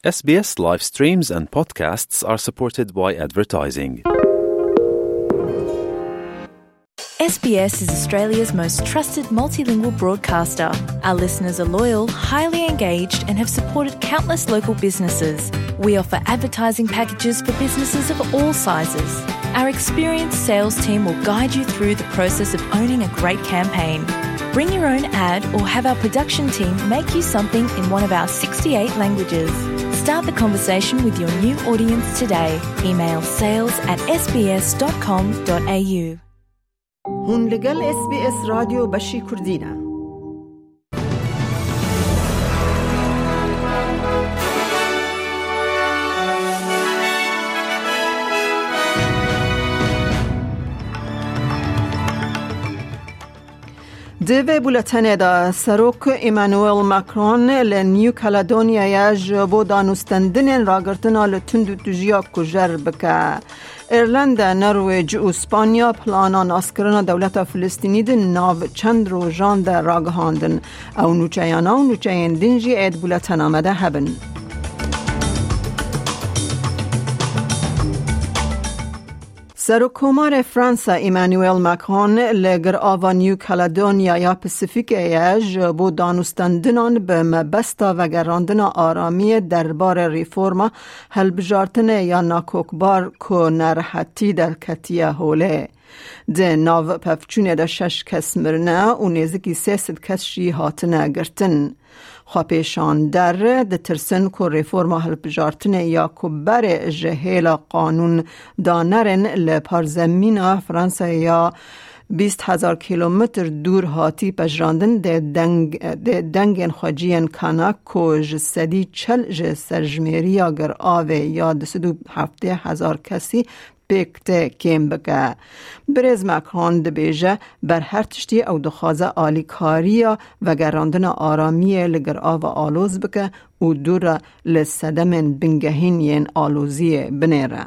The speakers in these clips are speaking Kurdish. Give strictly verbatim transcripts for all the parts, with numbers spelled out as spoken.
S B S live streams and podcasts are supported by advertising. S B S is Australia's most trusted multilingual broadcaster. Our listeners are loyal, highly engaged, and have supported countless local businesses. We offer advertising packages for businesses of all sizes. Our experienced sales team will guide you through the process of owning a great campaign. Bring your own ad or have our production team make you something in one of our sixty-eight languages. Start the conversation with your new audience today. Email sales at S B S dot com dot A U. Hûn li gel S B S Radyo Beşî Kurdî ne. Di vê buletenê de Serok Emmanuel Macron li New Caledonya'ya ji bo danûstendinên ragirtina li tund û tijiya kujer bike. Îrlanda, Norwêc û Spanya plana naskirina dewleta Filistînî di nav çend rojan de ragihandin. Ew nûçeyana û nûçeyên din jî ê di buletena me de hebin. Serokkomarê Fransa Emmanuel Macron li girava New Caledonia ya Pasifîkê ye ji bo danûstendinan bi mebesta vegerandina aramiyê derbarê reforma hilbijartinê ya nakokbar ku nerehetî derketiye holê. Di nav pevçûnê de şeş kes mirine û nêzikî sê sed kes jî hatine girtin. Xwepêşander ditirsin ku reforma hilbijartinê ya ku berê ji hêla qanûn danerin li parzemîna Fransayê ya bîst hezar kîlometr dûr hatî pejirandin, dê deng, dê dengên xweciyên Kanak ku ji sedî çel ji serjimêriya giravê ya du sed û heftê hezar kesî pêk tê kêm bike. Birêz Macron dibêje, ber her tiştî ew dixwaze alîkariya vegerandina aramiyê li girava aloz bike û dû re li sedemên bingehîn yên aloziyê binêre.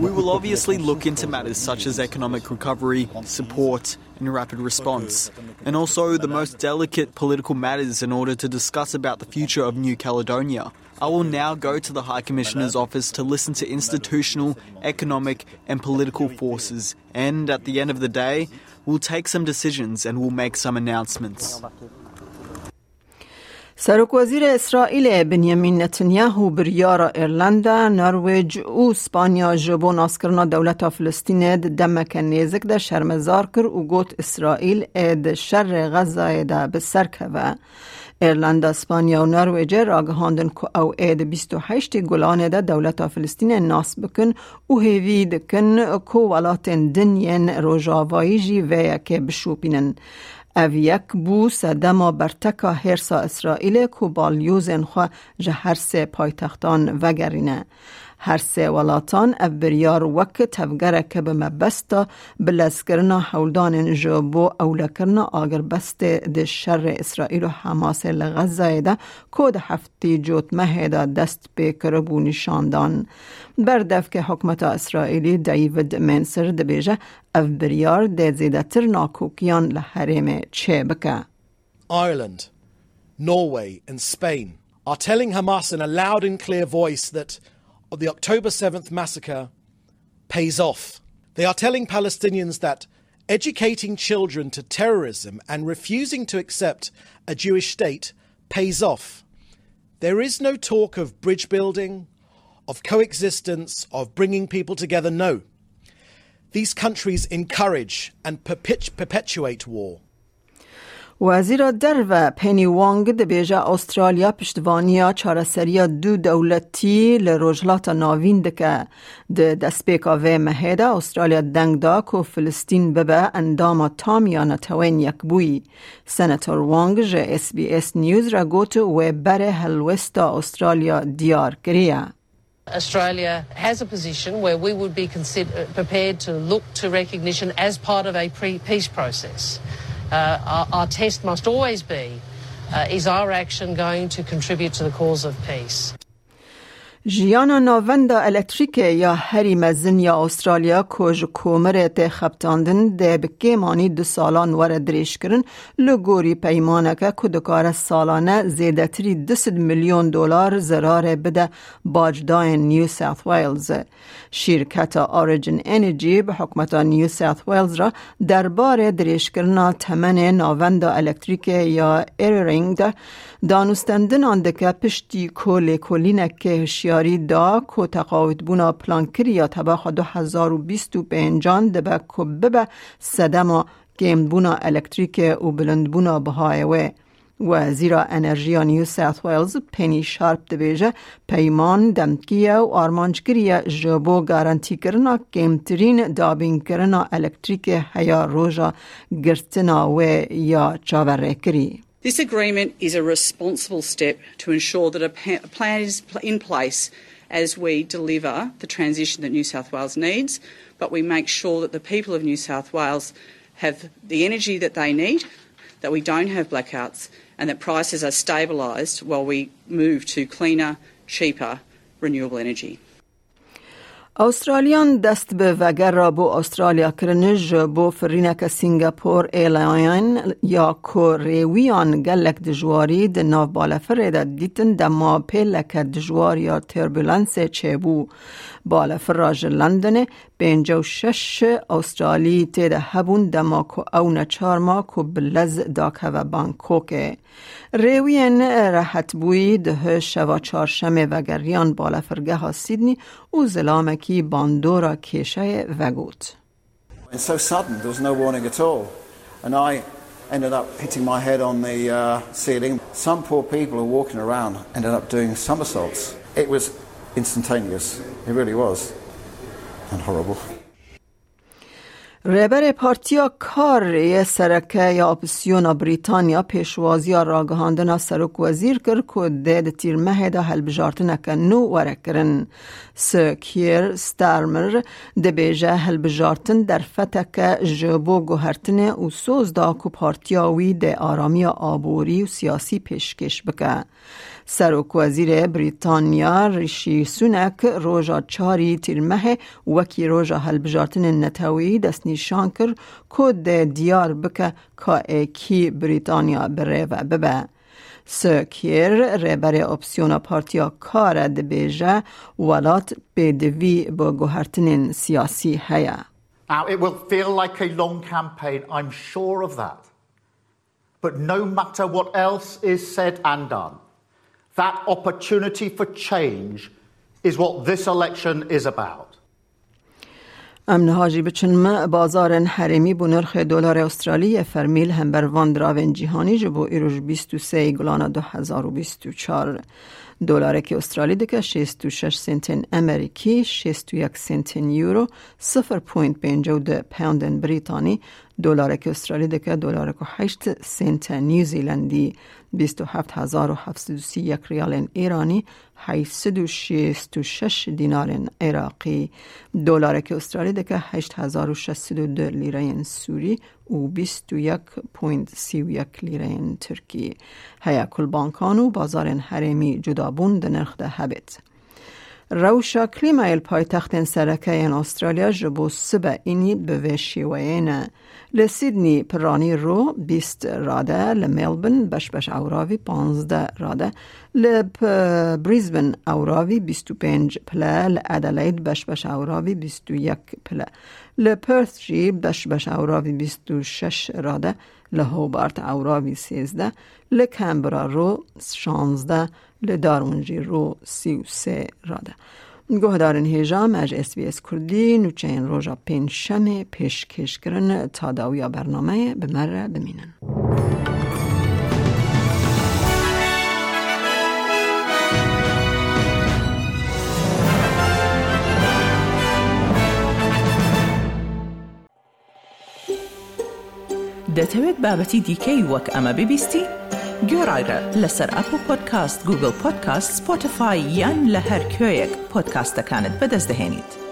We will obviously look into matters such as economic recovery, support, and rapid response, and also the most delicate political matters in order to discuss about the future of New Caledonia. I will now go to the High Commissioner's office to listen to institutional, economic, and political forces, and at the end of the day, we'll take some decisions and we'll make some announcements. Serokwezîrê Îsraîlê Benjamin Netanyahu biryara Îrlanda, Norwêc û Spanya ji bo naskirina dewleta Filistînê di demeke nêzik de şermezar kir û got, Îsraîl ê di şerê Xezayê de bi ser keve. Îrlanda, Spanya û Norwêcê ragihandin ku ew ê di bîst û heştê Gulanê de dewleta Filistînê nas bikin û hêvî dikin ku welatên din yên rojavayî jî vê yekê bişopînin. Ev yek bû sedema berteka hêrsa Îsraîlê ku balyozên xwe ji her sê paytextan vegerîne. Her sê welatan ev biryar wek tevgereke bi mebesta bilezkirina hewldanên ji bo ewlekirina agirbestê di şerê Îsraîl û Hamasê li Xezayê de ku di heftê cotmehê de dest pê kiribû nîşan dan. Berdevkê hikûmeta Îsraîlî David Menser dibêje, ev biryar dê zêdetir nakokiyan li herêmê çêbike. Ireland, Norway, and Spain are telling Hamas in a loud and clear voice that the October seventh massacre pays off. They are telling Palestinians that educating children to terrorism and refusing to accept a Jewish state pays off. There is no talk of bridge building, of coexistence, of bringing people together. No. These countries encourage and perpet-, perpetuate war. Wezîra Derve Penny Wong dibêje, Australya piştvanîya çareseriya du dewletî li Rojhilata Navîn dike. Di destpêka vê mehê de Australya deng da ku Filistîn bibe endama tam ya Netewên Yekbûyî. Senator Wong ji S B S News re got, wê berê helwesta Australya diyar kiriye. Australia has a position where we would be consider-, prepared to look to recognition as part of a pre-, peace process. Uh, our, our test must always be, uh, is our action going to contribute to the cause of peace? Jiyana navenda elektrîkê ya herî mezin ya Australya ku ji komirê tê xebitandin dê bi kêmanî du salan were dirêjkirin, li gorî peymaneke ku dikare salane zêdetirî du sed milyon dolar zerarê bide bacdayên New South Wales. Şîrketa Origin Energy bi hikûmeta New South Wales re derbarê dirêjkirina temenê navenda elektrîkê ya Eraring de danûstendinan dike, piştî ku lêkolînekê hişyarî da ku teqawitbûna plankirî ya tebaxa du hezar û bîst û pêncan dibe ku bibe sedema kêmbûna elektrîkê û bilindbûna bihayê wê. Wezîra Enerjiya New South Wales Penny Sharp dibêje, peyman demkî ye û armanc kiriye ji bo garantîkirina kêmtirîn dabînkirina elektrîkê heya roja girtina wê ya çaverêkirî. This agreement is a responsible step to ensure that a pa- plan is pl- in place as we deliver the transition that New South Wales needs, but we make sure that the people of New South Wales have the energy that they need, that we don't have blackouts, and that prices are stabilised while we move to cleaner, cheaper, renewable energy. Australiyan dest bi vegera bo Australya kirin ji bo firîneke Singapore Airline ya ku rêwiyan gelek dijwarî di nav balefirê de dîtin dema pêleke dijwar ya turbulensê çêbû. Balefira ji Londonê pêncî û şeş Australî tê de hebûn dema ku ew neçar ma ku bi lez dakeve Bangkokê. Rêwiyên rehetbûyî di hi şeva çarşemê vegeriyan balefirgeha Sydney û zilamekî bandora kêşeyê vegot. It's so sudden, there was no warning at all. And I ended up hitting my head on the uh, ceiling. Some poor people were walking around, ended up doing somersaults. It was instantaneous, it really was. And horrible. Rêberê Partiya Kar yê Sereke ya Opozîsyona Brîtanya pêşwaziya ragihandina serokwezîr kir ku dê di tîrmehê de hilbijartineke nû were kirin. Sir Keir Starmer dibêje hilbijartin derfeteke ji bo guhertinê û soz da ku partiya wî dê aramiya aborî û siyasî pêşkêş bike. Serokwezîrê Brîtanya Rishi Sunak roja çarî Tîrmehê wekî roja hilbijartinên neteweyî destnîşan kir ku dê diyar bike ka ê kî Brîtanya bi rê ve bibe. Sir Keir, rêberê opsiyona Partiya Kar e, dibêje welat pêdivî bi guhertinên siyasî heye. Now, it will feel like a long campaign, I'm sure of that. But no matter what else is said and done, that opportunity for change is what this election is about. Em niha jî biçin me bazarên herêmî bo nirxê dolarê Australî yê fermî li hember van diravên cîhanî ji bo îro ji bîst û sê gulana du hezar û bîst û çar. Dolarekî Australî dike şêst û şeş sentên Amerîkî, şêst û yek sentên Euro, sifir point pêncî û du poundên Brîtanî, Dolarekî Australî dike dolarek û heşt sente New Zealandî, bîst û heft hezar û heft sed û sî yek riyalên Îranî, heyt sed û şêst û şeş dînarên Iraqî. Dolarekî Australî dike heşt hezar û şeş sed û du lîreyên Sûrî û bîst û yek point sî û yek lîreyên Tirkî. Heye ku li bankan û bazarên herêmî cudabûn di nirx de hebêt. Rewşa klîmayê li paytextên sereke yên Australya ji bo sibe înî bi vê şêweyê ne. Li Sydney piranî ro bîst rade, li Melbourne beş beş ewravî panzdeh rade, li P-, Brisbane ewravî bîst û pênc pile, li Adelaide beş beş ewravî bîst û yek pile, li Perth jî beş beş ewravî bîst û şeş rade, li Hobart ewravî sêzdeh, li Canberra ro şanzdeh, li Darwin jî ro sî û sê rade. Guhdarên hêja me ji S B S Kurdî nûçeyên roja pêncşemê pêşkêş kirin. Ta dawiya bernameyê bi me re bimînin. دەتەوێت بابەتی دیکەی وەک ئەمە ببیستی؟ گوێڕایرە لەسەر ئەپڵ پۆدکاست، گوگڵ پۆدکاست، سپۆتیفای یان لە هەر کوێیەک پۆدکاستەکانت بەدەست دەهێنیت.